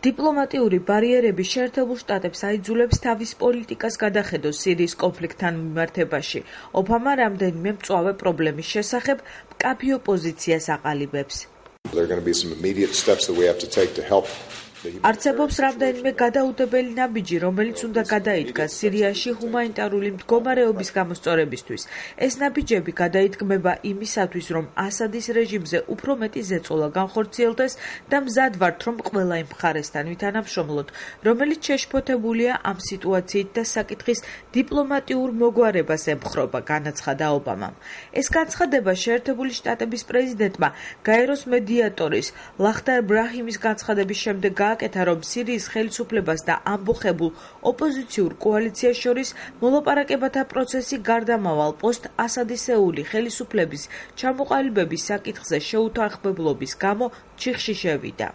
დიპლომატიური ბარიერები შეერთებულ შტატებს აიძულებს თავის პოლიტიკას გადახედოს სირიის კონფლიქტთან მიმართებაში. ობამა რამდენიმე მწვავე პრობლემის შესახებ მკაფიო პოზიციას აყალიბებს. არსებობს რამდენიმე გადაუდებელი ნაბიჯი, რომელიც უნდა გადაიდგას სირიაში ჰუმანიტარული მდგომარეობის გამოსწორებისთვის. ეს ნაბიჯები გადაიდგმება იმისათვის, რომ ასადის რეჟიმზე უფრო მეტი ზეწოლა განხორციელდეს და მზად ვართ, რომ ყველა იმ მხარესთან ვითანამშრომლოთ, რომელიც შეშფოთებულია ამ სიტუაციით და საკითხის დიპლომატიურ მოგვარებას ემხრობა, განაცხადა ობამამ. ეს განცხადება შეერთებული შტატების პრეზიდენტმა გაეროს მედიატორის ლახტარ ბრაჰიმის განცხადების შემდეგ გააკეთა, რომ სირიის ხელისუფლებას და ამბოხებულ ოპოზიციურ კოალიციას შორის მოლაპარაკებათა პროცესი გარდამავალ პოსტ-ასადისეული ხელისუფლების ჩამოყალიბების საკითხზე შეუთანხმებლობის გამო ჩიხში შევიდა.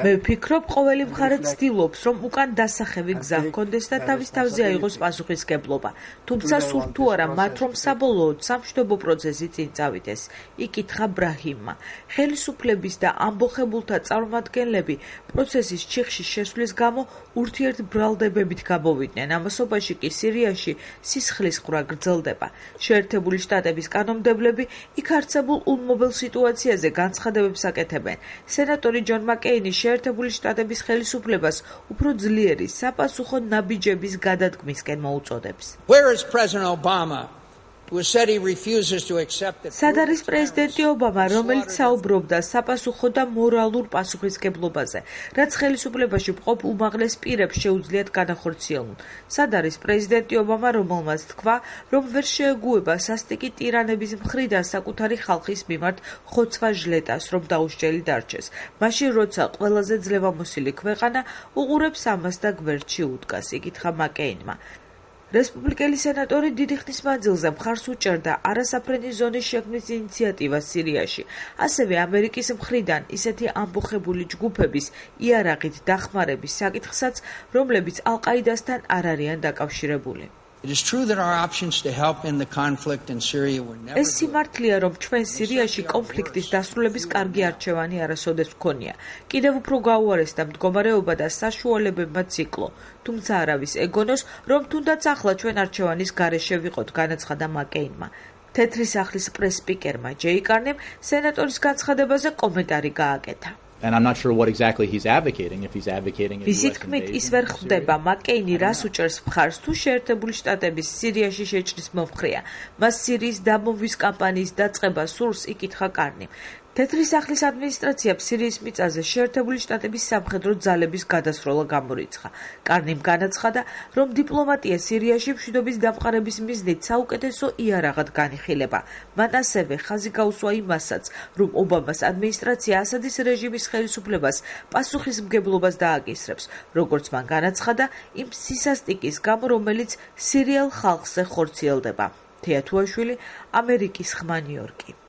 მე ვფიქრობ, ყოველი მხარე ცდილობს, რომ უკან დასახევი გზა ჰქონდეს და თავის თავზე აიღოს პასუხისმგებლობა. თუმცა სურთ თუ არა მათ, რომ საბოლოოდ სამშვიდობო პროცესი წინ წავიდეს, იკითხა ბრაჰიმმა. ხელისუფლების და ამბოხებულთა წარმომადგენლები პროცესის ჩიხში შესვლის გამო ურთიერთბრალდებებით გამოვიდნენ. ამასობაში კი სირიაში სისხლის ყვრა გრძელდება. შეერთებული შტატების კანონმდებლები იქ არსებულ ულმობელ სიტუაციაზე განცხადებებს აკეთებენ. სენატორი ჯონ მაკეინი შეერთებული შტატების ხელისუფლებას უფრო ძლიერი საპასუხო ნაბიჯების გადადგმისკენ მოუწოდებს. სად არის პრეზიდენტი ობამა, რომელიც საუბრობდა საპასუხო და მორალურ პასუხისმგებლობაზე, რაც ხელისუფლებაში მყოფ უმაღლეს პირებს შეუძლიათ განახორციელონ? სად არის პრეზიდენტი ობამა, რომელმაც თქვა, რომ ვერ შეეგუება სასტიკი ტირანების მხრიდან საკუთარი ხალხის მიმართ ხოცვა ჟლეტას, რომ დაუსჯელი დარჩეს, მაშინ როცა ყველაზე ძლევამოსილი ქვეყანა უყურებს ამას და გვერდში უდგას, იკითხა მაკეინმა. რესპუბლიკელი სენატორი დიდი ხნის მანძილზე მხარს უჭერდა არასაფრენი ზონის შექმნის ინიციატივას სირიაში. ასევე ამერიკის მხრიდან ისეთი ამბოხებული ჯგუფების იარაღით დახმარების საკითხსაც, რომლებიც ალ-ყაიდასთან არ არიან დაკავშირებული. ეს სიმართლეა, რომ ჩვენ სირიაში კონფლიქტის დასრულების კარგი არჩევანი არასოდეს გვქონია. კიდევ უფრო გაუარესდა მდგომარეობა და საშუალებებმა ციკლო. თუმცა არავის ეგონოს, რომ თუნდაც ახლა ჩვენ არჩევანის გარეშე ვიყოთ, განაცხადა მაკეინმა. თეთრი სახლის პრეს-სპიკერმა ჯეი კარნიმ სენატორის განცხადებაზე კომენტარი გააკეთა. ვიზით თქმით ის ვერ ხვდება, მაკეინი რას უჭერს მხარს თუ შეერთებული შტატების სირიაში შეჭრის მომხრეა. მას სირიის დამოვის კამპანიის დაწყება სურს, იკითხა კარნიმ. თეთრი სახლის ადმინისტრაციამ სირიის მიწაზე შეერთებული შტატების სამხედრო ძალების გადასროლა გამორიცხა. კარნიმ განაცხადა, რომ დიპლომატია სირიაში მშვიდობის დამყარების მიზნით საუკეთესო იარაღად განიხილება. მან ასევე ხაზი გაუსვა იმასაც, რომ ობამას ადმინისტრაცია ასადის რეჟიმის ხელისუფლებას პასუხისმგებლობას დააკისრებს, როგორც მან განაცხადა, იმ სისასტიკის გამო, რომელიც სირიელ ხალხზე ხორციელდება. თეა თუაშვილი, ამერიკის ხმა, ნიუ-იორკი.